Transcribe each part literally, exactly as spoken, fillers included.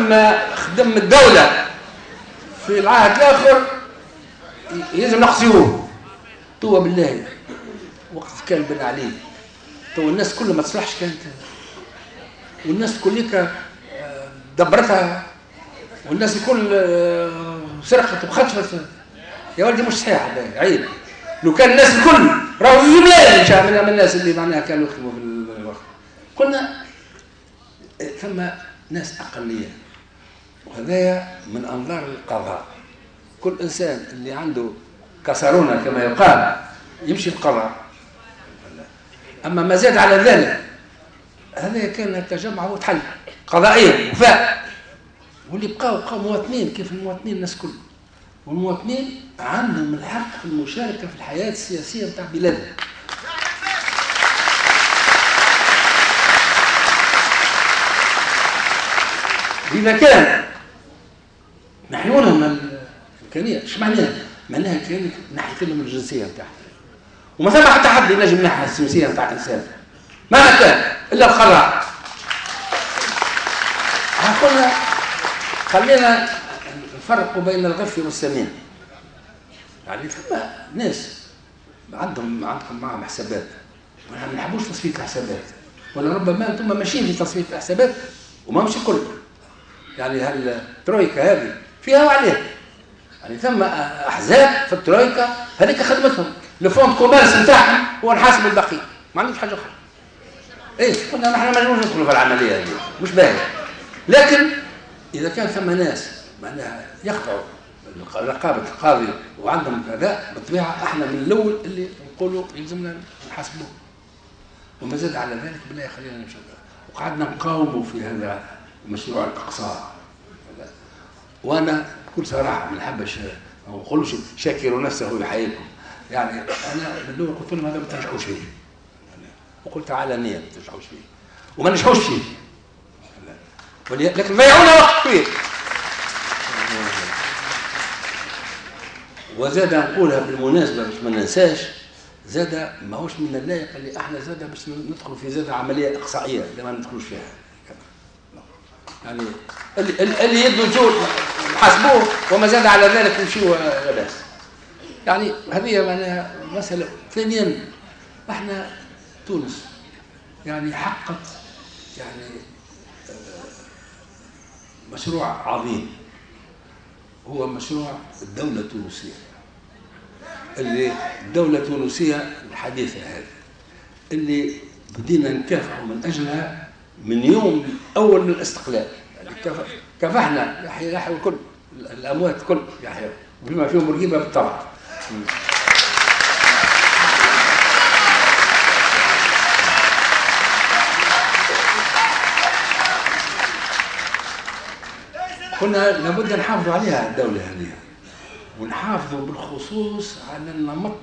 فما خدم الدولة في العهد الاخر يلزم نقصيوه. توا بالله وقت كان بن علي توا الناس كلها ما تصلحش كانت، والناس كلها دبرتها، والناس الكل سرقت وخطفت. يا ولدي مش صحيح هذا، عيب. لو كان الناس الكل راهو جملة من الناس اللي معناها كانوا يخدموا في الوقت. قلنا ثم ناس اقلية، وهذايا من انظار القضاء. كل انسان اللي عنده كسرونه كما يقال يمشي القضاء. اما ما زاد على ذلك هذا كان التجمع هو تحل قضائيا وفاء، واللي بقاو بقاو مواطنين كيف المواطنين الناس الكل، والمواطنين عندهم الحق في المشاركة في الحياة السياسية نتاع بلادنا. اذا كان نحيوا لهم الامكانية، اش معناها؟ معناها كانك نحيت لهم الجنسية نتاعهم، وما ثم حتى حد ينجم ينحي الجنسية نتاع انسان مهما كان الا القضاء. قلنا خلينا نفرقوا بين الغف والسمين. يعني ثم ناس عندهم عندكم معهم حسابات، ونحن ما نحبوش تصفية الحسابات، ولا ربما انتم ماشيين في تصفية الحسابات وما مش الكل. يعني هالترويكا هذه فيها وعليها، يعني ثم احزاب في الترويكا هذيك خدمتهم le fonds de commerce نتاعهم هو نحاسب البقية، ما عندهمش حاجة اخرى. ايه قلنا نحن ما نجموش ندخلوا في العملية هذه، مش باهيه. لكن اذا كان ثم ناس معناها يخضعوا رقابه القاضي وعندهم كذا، بالطبيعة احنا من الاول اللي نقولوا يلزمنا نحاسبوه. وما زاد على ذلك بالله خلينا نمشي. وقعدنا نقاوموا في هذا مشروع الاقصاء. وانا بكل صراحة ما نحبش ما نقولوش شاكروا نفسه يحييكم، يعني انا من الاول قلت لهم هذا ما تنجحوش فيه، وقلت علنيا ما تنجحوش فيه، وما نجحوش فيه، لكن ضيعونا وقت كبير. وزاد نقولها بالمناسبة باش ما ننساش، زاد ماهوش من اللائق اللي احنا زاد باش ندخلوا في زاد عملية اقصائيه اللي ما ندخلوش فيها. يعني اللي, اللي يدوا جو نحاسبوه، وما زاد على ذلك نمشيو لاباس. يعني هذه معناها مسالة. ثانيا احنا تونس يعني حققت يعني مشروع عظيم، هو مشروع الدولة التونسية، اللي الدولة التونسية الحديثة هذه اللي بدينا نكافحوا من أجلها من يوم أول من الاستقلال. يعني كافحنا يحيى يحيى الكل، الأموات الكل يحيى بما فيهم بورقيبة بالطبع. قلنا لابد نحافظوا عليها الدولة هذه، ونحافظوا بالخصوص على النمط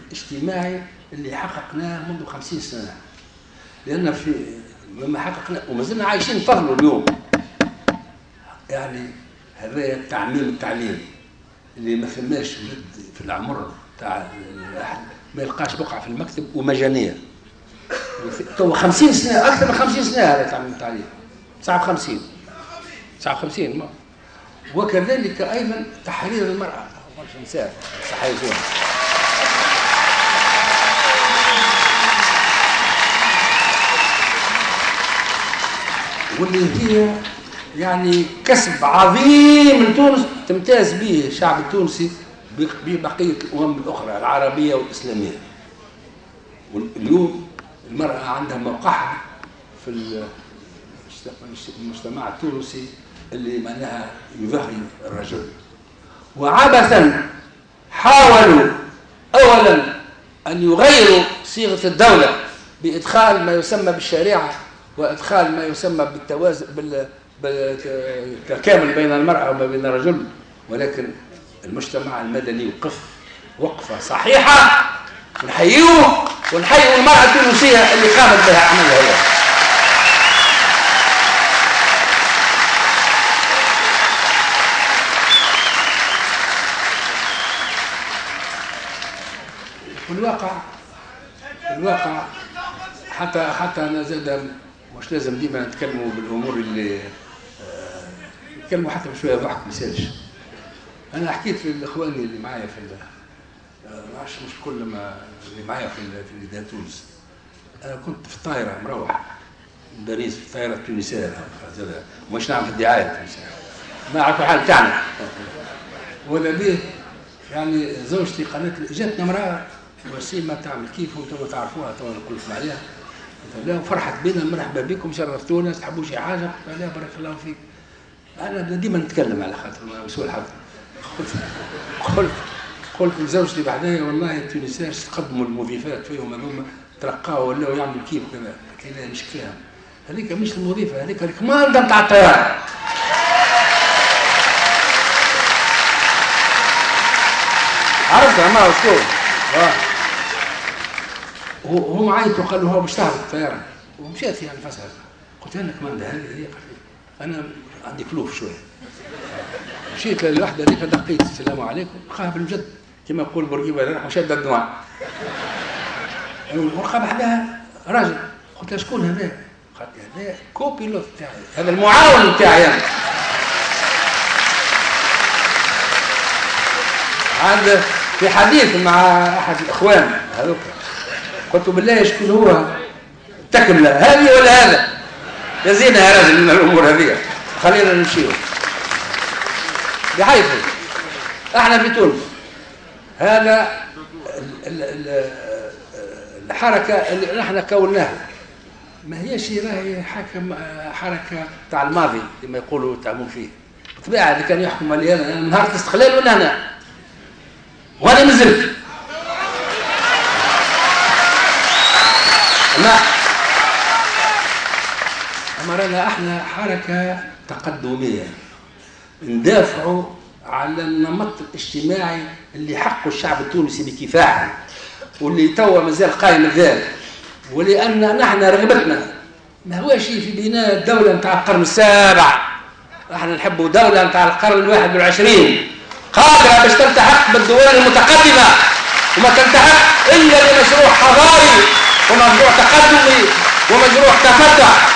الاجتماعي اللي حققناه منذ خمسين سنة، لأن في مما حققناه وما زلنا عايشين فضله اليوم. يعني هذا تعميم التعليم اللي ما ثماش ولد في العمر تاع ما يلقاش بقعة في المكتب ومجانية. تو خمسين سنة، أكثر من خمسين سنة هذا تعميم التعليم، تسعة وخمسين تسعة وخمسين. ما وكذلك أيضا تحرير المرأة، برشا نساء صحيحون. واللي هي يعني كسب عظيم لتونس تمتاز به الشعب التونسي ببقية الأمم الأخرى العربية والإسلامية. واليوم المرأة عندها موقعها في المجتمع التونسي اللي معناها يضاهي الرجل. وعبثا حاولوا أولا أن يغيروا صيغة الدولة بإدخال ما يسمى بالشريعة وإدخال ما يسمى بالتوازن بالتكامل بين المرأة وما بين الرجل، ولكن المجتمع المدني وقف وقفة صحيحة، ونحيوه ونحيوا المرأة التونسية اللي قامت بها عملها هذا. في الواقع في الواقع حتى حتى انا زاد مش لازم ديما نتكلموا بالامور اللي نتكلموا حتى بشوية ضحك ما يسالش. انا حكيت لاخواني اللي معايا في ما عرفش مش كل ما اللي معايا في في نداء تونس. انا كنت في الطائرة مروح من باريس في الطائرة التونسية، مش نعمل في الدعاية التونسية، ما عرفوا الحال بتاعنا. ولا بيه يعني زوجتي قالت لي جاتنا امراة وسيمه تعمل كيف وانتم تعرفوها تو نقول لكم عليها. قلت لها فرحت بنا، مرحبا بكم شرفتونا، تحبوا شي حاجة؟ قلت لها بارك الله فيك. انا ديما نتكلم على خاطر مسؤول الحظ. قلت قلت قلت لزوجتي بعدين والله التونسيين تقدموا المضيفات فيهم هذوما ترقاو ولاو يعملوا كيف كذا. قلت لها مش فاهم، هذيك مش المضيفة، هذيك الكماندا نتاع الطيارة. عرفتها ما هو شكون؟ وهم عيطوا قالوا هو باش تهبط الطيارة، ومشات يعني فسحت. قلت لها كماندا هذه هي؟ قالت لي انا عندي كلوف شوية. مشيت للوحدة هذيك دقيت السلام عليكم، لقاها بالمجد كما يقول بورقيبة راح وشاد الدموع. ولقى بحداها راجل. قلت لها شكون هذا؟ قالت لي هذا copilote تاعي، هذا المعاون تاعي انا. عاد في حديث مع احد الاخوان هذوك قلت له بالله شكون هو تكمله هذه ولا هذا؟ يا زينة يا راجل من الامور هذه، خلينا نمشيو. بحيث احنا في تونس هذا الحركة اللي نحن كوناها ما هيش راهي حكم حركة تاع الماضي كما يقولوا تعملوا فيه. بالطبيعة اللي كان يحكم علينا من نهار الاستقلال ولا هنا وانا مازلت. اما اما رانا احنا حركة تقدميه ندافعوا على النمط الاجتماعي اللي حقه الشعب التونسي بكفاحه واللي توا مازال قايم الذات، ولان نحن رغبتنا ما هوش في بناء دولة نتاع القرن السابع، احنا نحبوا دولة نتاع القرن الواحد والعشرين قادرة باش تلتحق بالدول المتقدمة، وما تلتحق الا بمشروع حضاري ومشروع تقدمي ومشروع تفتح.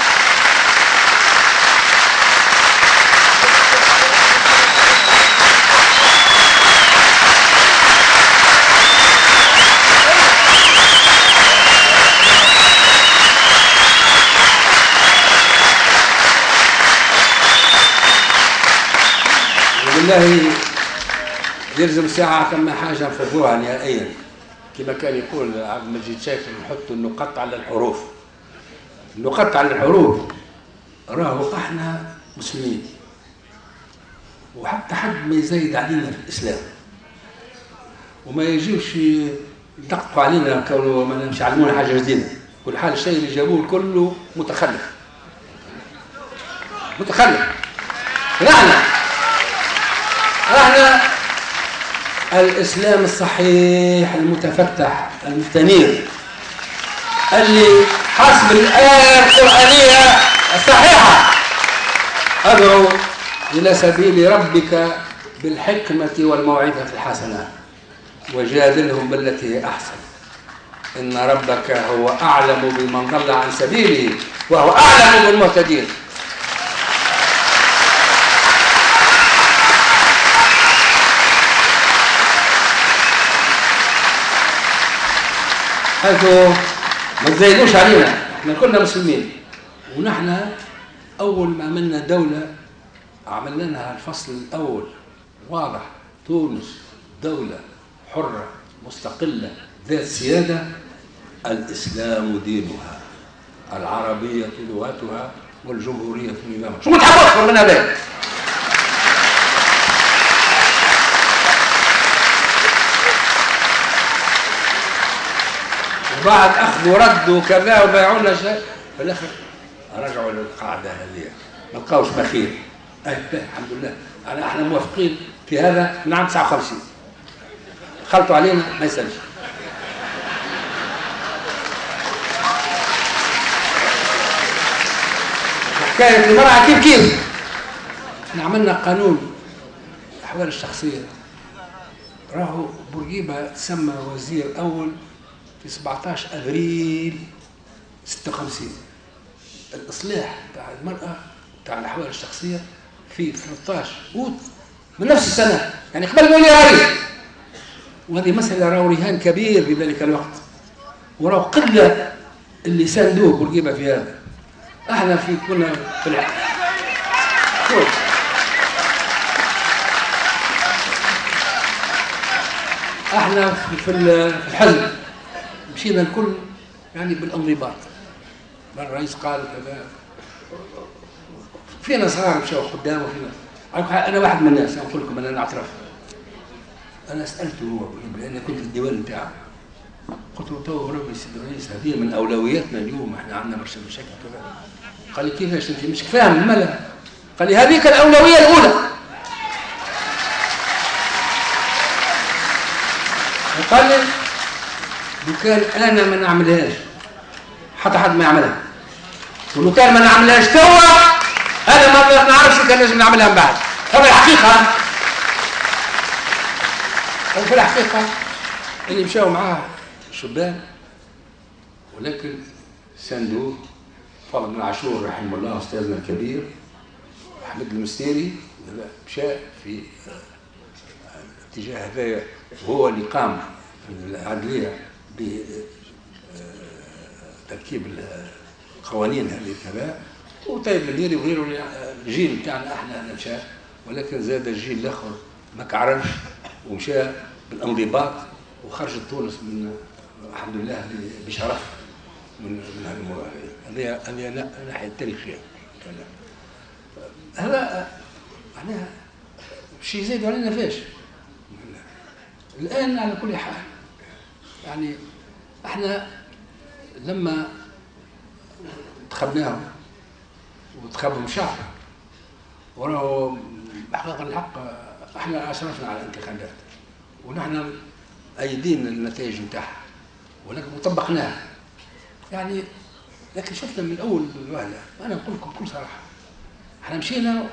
والله يلزم ساعة ثم حاجة نفضوها نهائيا، كما كان يقول عبد المجيد شاكر نحط النقط على الحروف. النقط على الحروف راهو احنا مسلمين وحتى حد ما يزايد علينا في الإسلام وما يجيوش يدققوا علينا كونه ما مش يعلمونا حاجة جديدة. كل حال الشيء اللي جابوه كله متخلف متخلف. نحن احنا الإسلام الصحيح المتفتح المستنير اللي حسب الآية القرآنية الصحيحة أدعو إلى سبيل ربك بالحكمة والموعظة الحسنة وجادلهم بالتي هي أحسن إن ربك هو أعلم بمن ضل عن سبيله وهو أعلم بالمهتدين. حيث ما تزايدوش علينا، احنا كلنا مسلمين، ونحن اول ما عملنا دولة عملنا لها الفصل الاول واضح، تونس دولة حره مستقلة ذات سيادة، الاسلام دينها، العربية لغتها، والجمهوريه نظامها. شو تحب اكثر من هذا؟ وبعد اخذ ورد وكذا وبايعوا شيء، في الاخر رجعوا للقاعدة هذه ما لقاوش بخيل. الحمد لله انا احنا موافقين في هذا من عام تسعة وخمسين، خلطوا علينا ما يسالش. حكاية المراة كيف كيف احنا عملنا قانون الاحوال الشخصية، راهو بورقيبة تسمى وزير اول في سبعطاش أفريل ستة وخمسين. الإصلاح تاع المرأة تاع الأحوال الشخصية في ثلاثة عشر أوت من نفس السنة، يعني قبل ما يولي رئيس. وهذه مسألة راهو رهان كبير في ذلك الوقت، وراهو قلة اللي ساندوه بورقيبة في هذا. احنا في كنا في العقل. شوف احنا في الحزب مشينا الكل يعني بالانضباط. الرئيس قال كذا، فينا صغار مشاو قدام وفينا، انا واحد من الناس نقول لكم انا نعترف، انا سالته هو لان كنت في الديوان نتاعه، قلت له تو بربي سيدي الرئيس هذه من اولوياتنا اليوم، احنا عندنا برشا مشاكل كذا. قال لي كيفاش انت مش فاهم مالا؟ قال لي هذيك الاولوية الاولى. قال لي لو كان انا ما نعملهاش حتى حد ما يعملها، ولو كان ما نعملهاش توا انا ما نعرفش كان لازم نعملها من بعد. هذا الحقيقة، في الحقيقة اللي مشاو معاه شبان، ولكن ساندوه فاضل بن عاشور رحمه الله استاذنا الكبير، احمد المستيري مشى في الاتجاه هذا، وهو اللي قام في العدليه بتركيب القوانين هذه كذا، وطيب المنيري وغيره. الجيل بتاعنا احنا مشى، ولكن زاد الجيل الاخر ما كعرفش ومشى بالانضباط، وخرجت تونس من الحمد لله بشرف من من هذه الموضوع. هذه هذه الناحية التاريخية. هذا معناها شيء يزيد علينا فاش الان. على كل حال يعني احنا لما انتخبناهم وانتخبهم شعب، وراهو بحقيقة الحق احنا اشرفنا على الانتخابات ونحن ايدين النتائج نتاعها، ولكن وطبقناها يعني. لكن شفنا من اول الوهله، انا نقول لكم بكل صراحة، احنا مشينا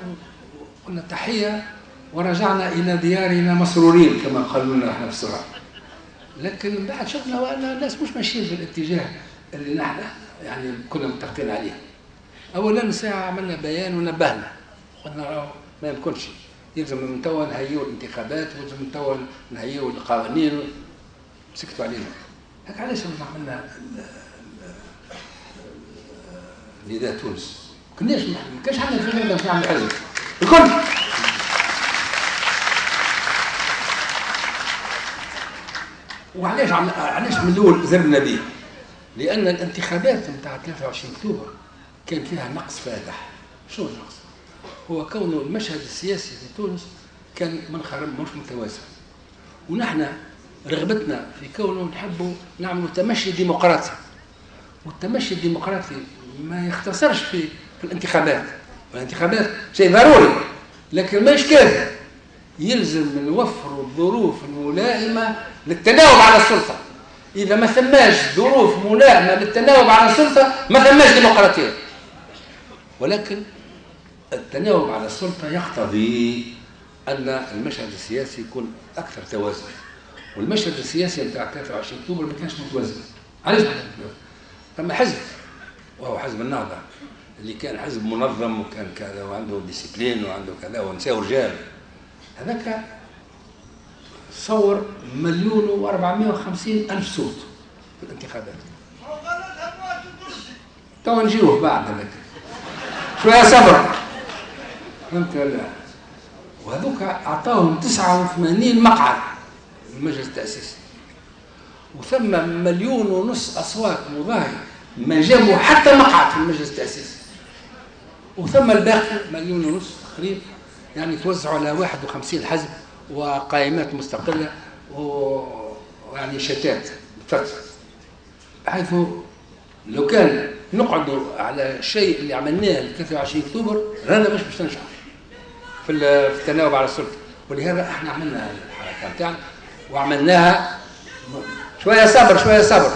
وقلنا تحية ورجعنا الى ديارنا مسرورين كما قالوا لنا احنا في السرعة. لكن بعد شفنا وان الناس مش ماشيين في الاتجاه اللي نحن يعني كنا متفقين عليه. اولا ساعة عملنا بيان ونبهنا، قلنا ما يمكنش، يلزم من توا نهيئوا الانتخابات ويلزم من توا نهيئوا القوانين. سكتوا علينا. هاك علاش عملنا نداء تونس؟ ما كناش ما كانش عندنا فكرة باش نعمل حزب الكل. وعلاش علاش من الاول زرنا به؟ لان الانتخابات نتاع ثلاثة وعشرين اكتوبر كان فيها نقص فادح. شو النقص؟ هو كون المشهد السياسي في تونس كان منخرم مش متوازن، ونحن رغبتنا في كونه نحبوا نعملوا تمشي ديمقراطي، والتمشي الديمقراطي ما يختصرش في في الانتخابات، والانتخابات شيء ضروري لكن ماهيش كافي. يلزم نوفروا الظروف الملائمة للتناوب على السلطة. اذا ما ثماش ظروف ملائمه للتناوب على السلطة ما ثماش ديمقراطية. ولكن التناوب على السلطة يقتضي ان المشهد السياسي يكون اكثر توازن، والمشهد السياسي نتاع ثلاثة وعشرين اكتوبر ما كانش متوازن. علاش ما كانش متوازن؟ ثم حزب وهو حزب النهضة اللي كان حزب منظم وكان كذا وعنده discipline وعنده كذا ونساء ورجال، هذاك صور مليون وأربعمائة وخمسين ألف صوت في الانتخابات. تو نجيوه بعد هذاك شوية صبر، فهمت ولا؟ وهذوك أعطاهم تسعة وثمانين مقعد في المجلس التأسيسي، وثم مليون ونص أصوات مضاهية ما جابوا حتى مقعد في المجلس التأسيسي، وثم الباقي مليون ونص تقريبا يعني توزعوا على واحد وخمسين حزب وقائمات مستقلة ويعني شتات، بحيث لو كان نقعدوا على الشيء اللي عملناه ل ثلاثة وعشرين اكتوبر رانا مش باش ننجحوا في التناوب على السلطة. ولهذا احنا عملنا الحركة نتاعنا وعملناها شوية صبر شوية صبر،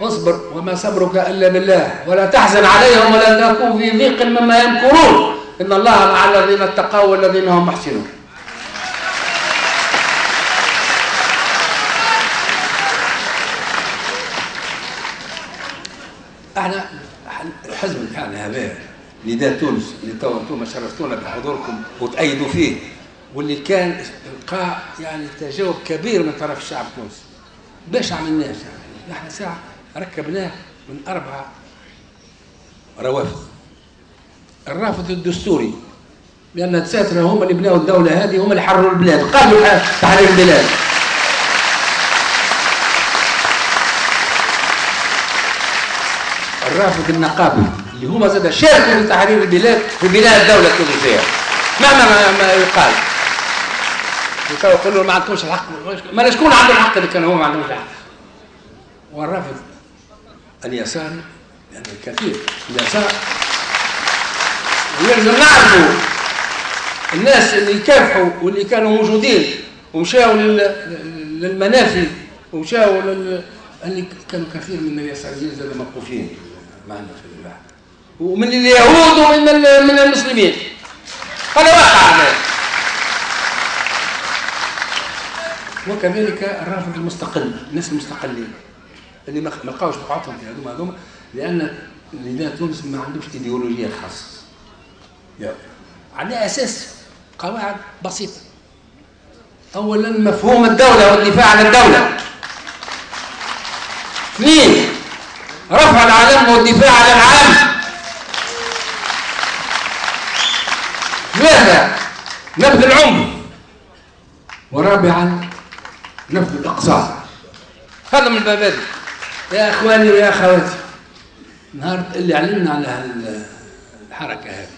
اصبر وما صبرك الا بالله ولا تحزن عليهم ولا تكن في ضيق مما يمكرون ان الله مع الذين اتقوا والذين هم محسنون. احنا الحزب بتاعنا هذا نداء تونس اللي تو انتم شرفتونا بحضوركم وتأيدوا فيه، واللي كان لقى يعني تجاوب كبير من طرف الشعب التونسي. باش عملناه؟ نحن ساعة ركبناه من أربعة روافد. الرافد الدستوري، لأن الدساترة هم اللي بناوا الدولة هذه، هم اللي حرروا البلاد، قالوا تحرير البلاد. الرافد النقابي اللي هما زاد شاركوا في تحرير البلاد في بناء الدولة التونسية مهما ما يقال. يقولوا ما عندكمش الحق، ما شكون عنده الحق اللي كان هو ما عندهمش الحق. والرافد اليساري، يعني الكثير اليسار، ويلزم نعرفوا الناس اللي كافحوا واللي كانوا موجودين ومشاو للمنافي ومشاو لل... اللي كانوا كثير من اليساريين زاد موقوفين معنا في البحث، ومن اليهود ومن من المسلمين. هذا واقع. وكذلك الرافد المستقل، الناس المستقلين اللي ما لقاوش بقعتهم في هذوما هذوما، لان نداء تونس ما عندوش ايديولوجية خاصة. على اساس قواعد بسيطة. اولا مفهوم الدولة والدفاع عن الدولة. اثنين رفع العلم والدفاع عن العالم. ثلاثة نبذ العنف. ورابعا نبذ الاقصاء. هذا من المبادئ يا اخواني ويا اخواتي. نهار اللي علمنا على الحركة هذه،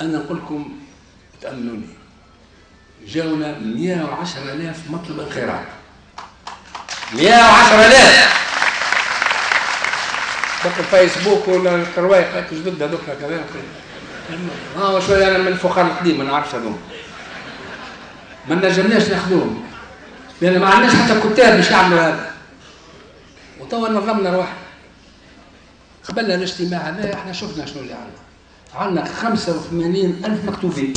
انا نقول لكم تامنوني، جاونا مئة وعشرة آلاف مطلب انخراط. مئة وعشرة آلاف بقى الفيسبوك ولا الروايق جدد هذوك كذا. اه شوية انا من الفخار القديم ما نعرفش هذوما، ما نجمناش ناخذوهم لان ما عندناش حتى كتاب باش يعملوا هذا. وتوا نظمنا رواحنا. قبل الاجتماع هذا احنا شفنا شنو اللي عندنا. عندنا خمسة وثمانين ألف مكتوبين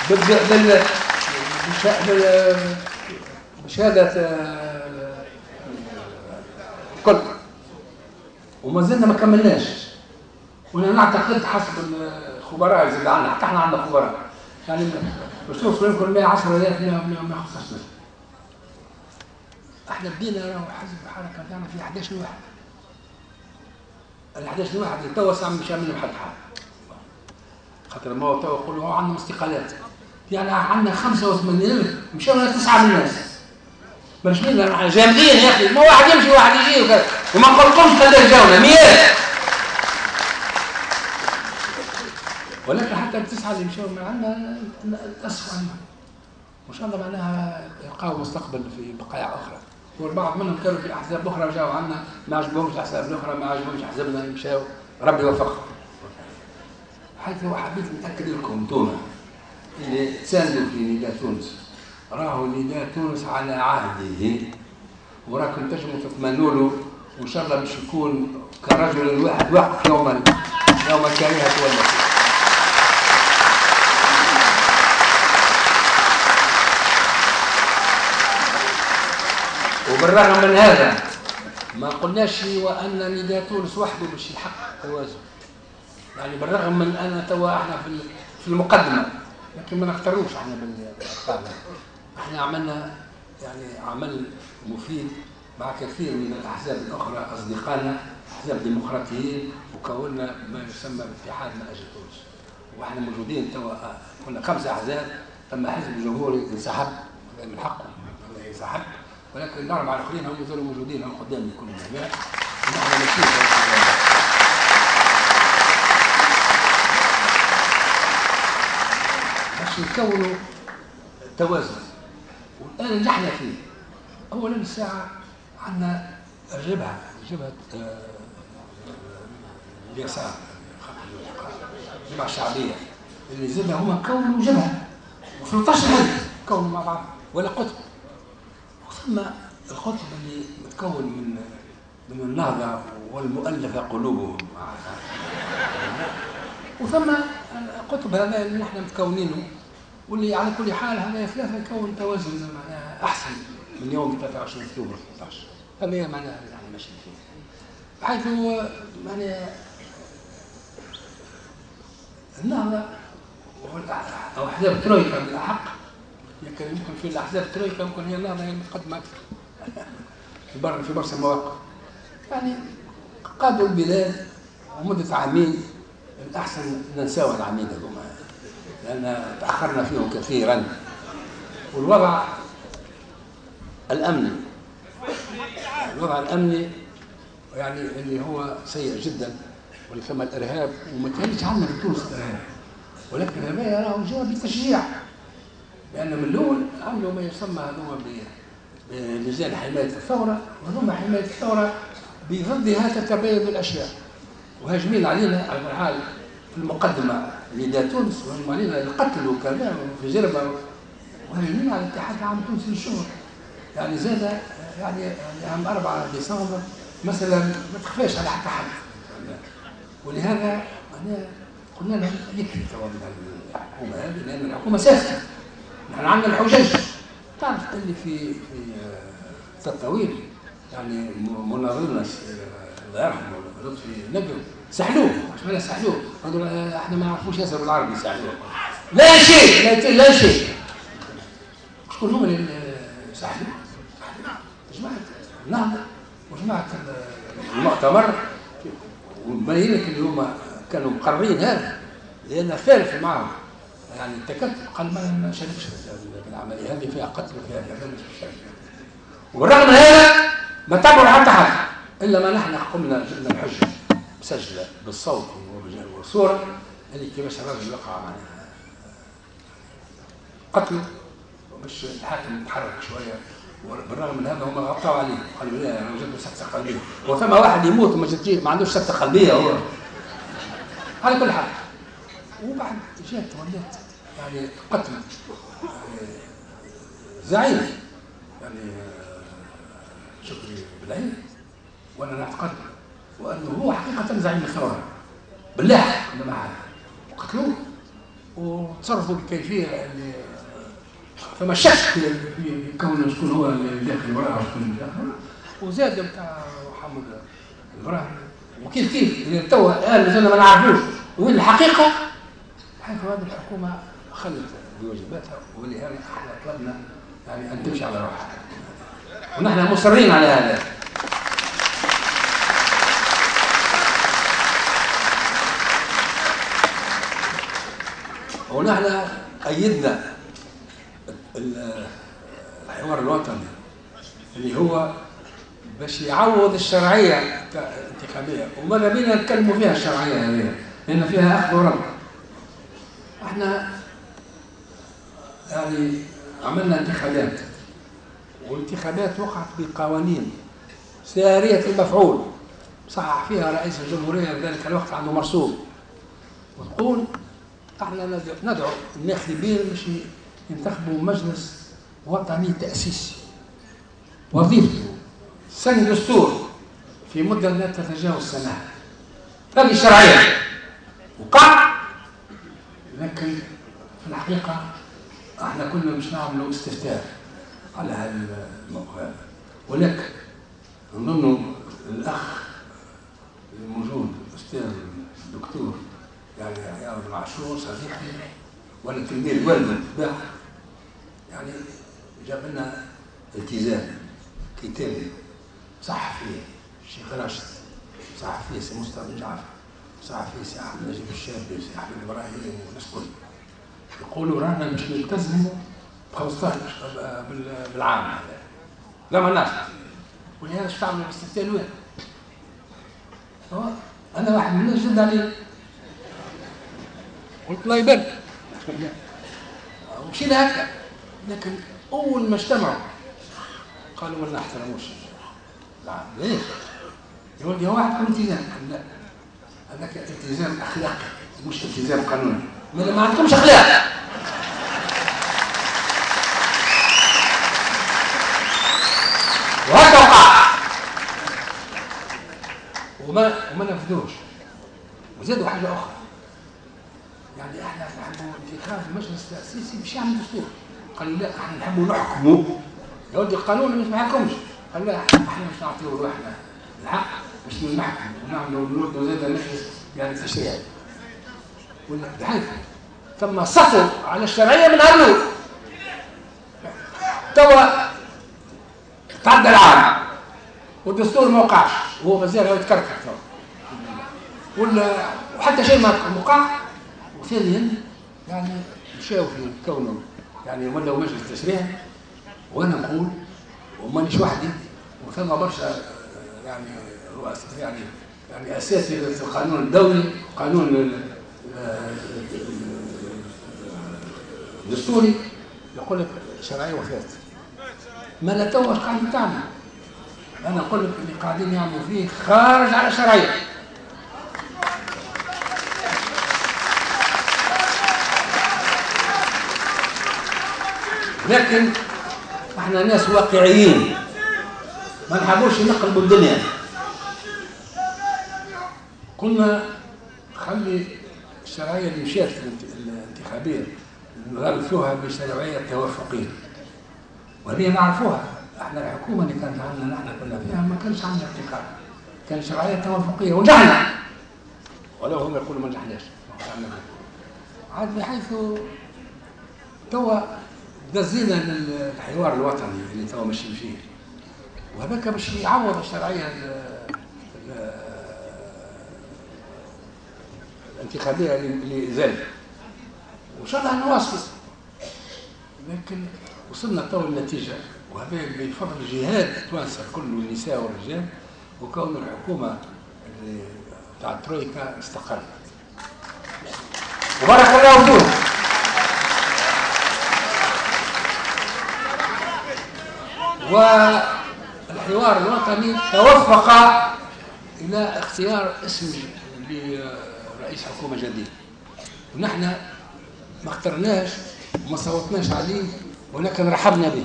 بال بال بال بشهادة كل، وما زلنا ما كملناش. وانا نعتقد حسب الخبراء اللي عندنا، حتى احنا عندنا خبراء، يعني باش توصلوا يمكن مئة وعشرة آلاف مئة وخمسة عشر. احنا بدينا راهو حزب الحركة تاعنا في أحد عشر واحد. ال أحد عشر واحد اللي توا ساعة مش عاملين حد حاجة. خاطر ما هو توا يقولوا عندنا استقالات. يعني عندنا خمسة وثمانين ألف مشاو تسعة من الناس. مش مين جامدين يا اخي، ما واحد يمشي واحد يجي وكذا، وما نقولكمش قداش جاونا مئات. ولكن حتى التسعة اللي مشاو معنا تاسفوا عنا. وان شاء الله معناها يلقاو مستقبل في بقايا اخرى. والبعض منهم كانوا في احزاب اخرى وجاوا عنا، ما عجبهمش الاحزاب الاخرى، ما عجبهمش احزابنا، مشاو، ربي يوفقهم. حيث حبيت نتاكد لكم انتوما اللي تساندوا في نداء تونس، راهو نداء تونس على عهده، وراكم تنجموا تتمنوا له، وان شاء الله باش يكون كرجل الواحد واقف يوما يوم الكريهة والنصيب. وبالرغم من هذا ما قلناش وان نداء تونس وحده باش يحقق توازن. يعني بالرغم من ان توا احنا في في المقدمة، لكن ما نختاروش احنا بالارقام. احنا عملنا يعني عمل مفيد مع كثير من الاحزاب الاخرى اصدقائنا، احزاب ديمقراطيين، وكونا ما يسمى باتحاد من اجل تونس. واحنا موجودين توا كنا خمسة احزاب، ثم حزب جمهوري انسحب، هذا من حقه ينسحب، ولكن الاربعة الاخرين هم يزالوا موجودين، هم قدامي كلهم هنا، ونحن ماشيين باش نكونوا توازن. والان اللي احنا فيه، اولا الساعة عندنا الجبهة، جبهة اليسار، الجبهة الشعبية اللي زادها هما كونوا جبهة ثلاثة عشر حزب كونوا مع بعض ولا قطب. ثم القطب اللي متكون من من النهضة والمؤلفة قلوبهم، وثم القطب هذا اللي نحن متكونينه، واللي على كل حال هذا ثلاثة يكون توازن معناها احسن من يوم ثلاثة وعشرين اكتوبر ثلاثة عشر. هذا معناها اللي احنا ماشيين فيه، بحيث معناها النهضة أو أحزاب الترويكا بالأحق، يمكن يمكن في الأحزاب الترويكا يمكن هي النهضة هي المتقدمة أكثر في بر في برشا مواقف. يعني قادوا البلاد ومدة عامين، الأحسن ننساو العامين هذوما لأن تأخرنا فيهم كثيرا. والوضع الأمني، الوضع الأمني يعني اللي هو سيء جدا، واللي ثم الإرهاب، وما كانش عندنا في تونس الإرهاب، ولكن هذا راهو جاء بتشجيع، لأن من الأول عملوا ما يسمى هذوما بلجان حماية الثورة، وهذوما حماية الثورة بضدها تتباين الأشياء، وهاجمين علينا على كل حال في المقدمة نداء تونس، وهاجموا علينا القتل وكذا وفي جربة، وهاجمين على الاتحاد العام التونسي للشغل. يعني زاد يعني عام أربعة ديسمبر مثلا ما تخفاش على حتى حد، ولهذا أنا قلنا لهم يكفي توا من الحكومة هذه، لأن الحكومة ساكتة، نحن عندنا الحجج. تعرف اللي في في التطويل يعني مناظرنا الله يرحمه لطفي نجم سحلوه، اش معنى سحلوه؟ قالوا احنا ما نعرفوش ياسر بالعربي سحلوه. لا شيء، لا لا شيء. شكون هما اللي سحلوه؟ جماعة النهضة وجماعة المؤتمر، ومبين لك اللي هما كانوا مقررين هذا، لأن ثالث معهم يعني التكتل قال ما نشاركش في العملية هذه، فيها قتل وفيها كذا مش نشارك. وبالرغم من هذا ما تبعوا حتى حد، إلا ما نحن قمنا جبنا الحجة مسجلة بالصوت والصورة اللي كيفاش الراجل وقع معناها قتله، باش الحاكم يتحرك شوية. وبالرغم من هذا هم غطوا عليه، قالوا لا راه جات سكتة قلبية، وثم واحد يموت وما جاتش ما عندوش سكتة قلبية هو. على كل حال وبعد جات ولات يعني قتل زعيم يعني شكري بالعيد، وانا نعتقد وانه هو حقيقة زعيم الثورة بالله اللي معاه، وقتلوه وتصرفوا بالكيفية اللي فما شك في كون شكون هو اللي داخل وراءه وشكون اللي داخل. وزاد نتاع محمد ابراهيم وكيف كيف اللي توا الان مازلنا ما نعرفوش وين الحقيقة، حيث هذه الحكومة خلت بواجباتها، ولهذا احنا طلبنا يعني ان تمشي على روحها، ونحن مصرين على هذا. ونحن أيدنا الحوار الوطني اللي هو باش يعوض الشرعية الانتخابية، وماذا بينا نتكلموا فيها الشرعية هذه لأن فيها أخذ ورد. احنا يعني عملنا انتخابات، والانتخابات وقعت بقوانين سارية المفعول صحح فيها رئيس الجمهورية في ذلك الوقت عنده مرسوم، وتقول احنا ندعو الناخبين باش ينتخبوا مجلس وطني تأسيسي وظيفته سن دستور في مدة لا تتجاوز سنة. هذه الشرعية وقع، لكن في الحقيقة احنا كنا مش نعملوا استفتاء على هذا الموقف هذا، ولكن نظن الأخ الموجود الأستاذ الدكتور يعني عياض بن عاشور صديقي وانا تلميذ والده بالطبيعة، يعني جاب لنا التزام كتابي صح فيه الشيخ راشد، صح فيه سي مصطفى بن جعفر، صح فيه سي احمد نجيب الشابي وسي احمد ابراهيم والناس الكل، يقولوا رانا مش نلتزموا ب خمسطاش بالعام هذا، لا ما ناش. ولهذا اش تعملوا الاستفتاء وين؟ انا واحد من الناس جد علي قلت الله يبارك ومشينا هكا، لكن اول ما اجتمعوا قالوا ما نحترموش العام. ليش؟ يا ولدي هو واحد التزام، لا هذاك التزام اخلاقي مش التزام قانوني، ما ما عندكمش اخلاق. وهكا وقع وما وما نفذوش. وزادوا حاجة اخرى، يعني احنا نحبوا انتخاب المجلس التاسيسي باش يعمل دستور، قالوا لا احنا نحبوا نحكموا. يا ولدي القانون ما يسمحلكمش، قالوا لا احنا مش نعطيو روحنا الحق باش نحكموا ونعملوا نردوا زاد مجلس يعني تشريعي. بحيث ثم سطو على الشرعية من هالنور. توا تعدى العام والدستور ما وقعش، وهو مازال يتكركر توا، ولا وحتى شيء ما وقع. وثانيا يعني مشاو في كونه يعني ولاو مجلس تشريعي، وانا نقول ومانيش وحدي، وثم برشا يعني رؤساء يعني يعني اساتذة في القانون الدولي، قانون الدستوري، يقول لك شرعية وفات. ما لا توا قاعدين تعمل؟ انا نقول لك اللي قاعدين يعملوا فيه خارج على الشرعية. لكن احنا ناس واقعيين، ما نحبوش نقلبوا الدنيا. قلنا خلي الشرعية اللي مشات الانتخابية نغلفوها بشرعيه توافقيه، وهذه نعرفوها احنا. الحكومة اللي كانت عندنا نحن كنا فيها ما كانش عندنا ابتكار، كان شرعية توافقيه ونجحنا، ولو هم يقولوا ما نجحناش. عاد بحيث توا دزينا للحوار الوطني اللي توا ماشيين فيه، وهذاك باش يعوض الشرعية الانتخابية اللي زادت، وان شاء الله نواصل. لكن وصلنا تو النتيجة، وهذا بفضل جهاد التوانسة الكل والنساء والرجال، وكون الحكومة اللي تاع الترويكا استقرت. وبارك الله فيكم. والحوار الوطني توفق الى اختيار اسم لرئيس حكومة جديد، ونحن ما اخترناش وما صوتناش عليه، ولكن رحبنا به،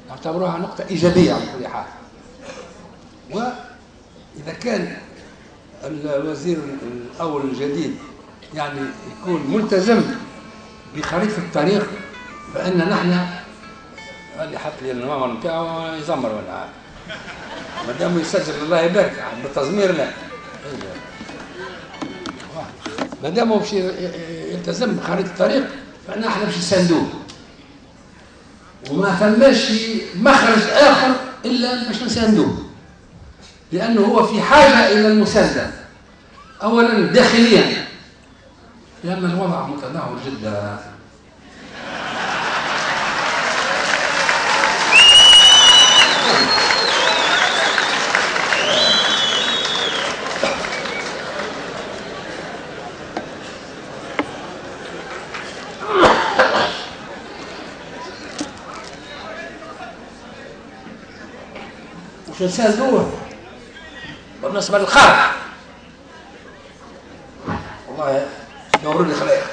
نعتبروها نقطة إيجابية على كل حال. وإذا كان الوزير الأول الجديد يعني يكون ملتزم بخريطة الطريق، فإن نحن اللي حط لي النوامر نتاعو يزمر ولا ما دام يسجل الله يبارك بالتزمير، لا ما دام باش يلتزم بخريطة الطريق فإن احنا باش نساندوه، وما ثماش مخرج آخر إلا باش نساندوه، لأنه هو في حاجة إلى المساندة أولا داخليا، لأن الوضع متدهور جدا. وش نساندوه بالنسبة للخارج؟ والله نوروا لي خلايا.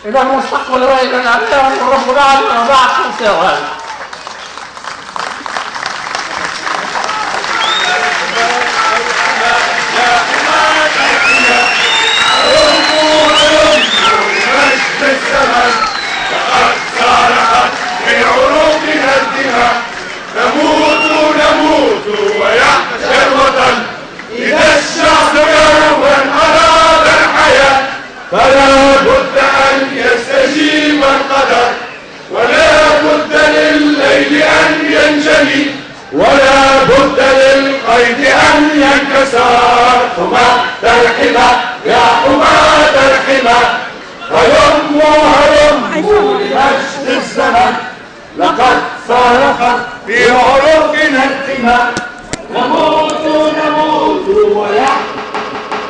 إذا المستقبل رأي رب العالمين بعد خمسة. فلا بد أن يستجيب القدر، ولا بد لليل أن ينجلي، ولا بد للقيد أن ينكسر. حماة الحمى يا حماة الحمى، هلموا هلموا لمجد الزمن، لقد صرخت في عروقنا الدماء. نموت نموت ويحيا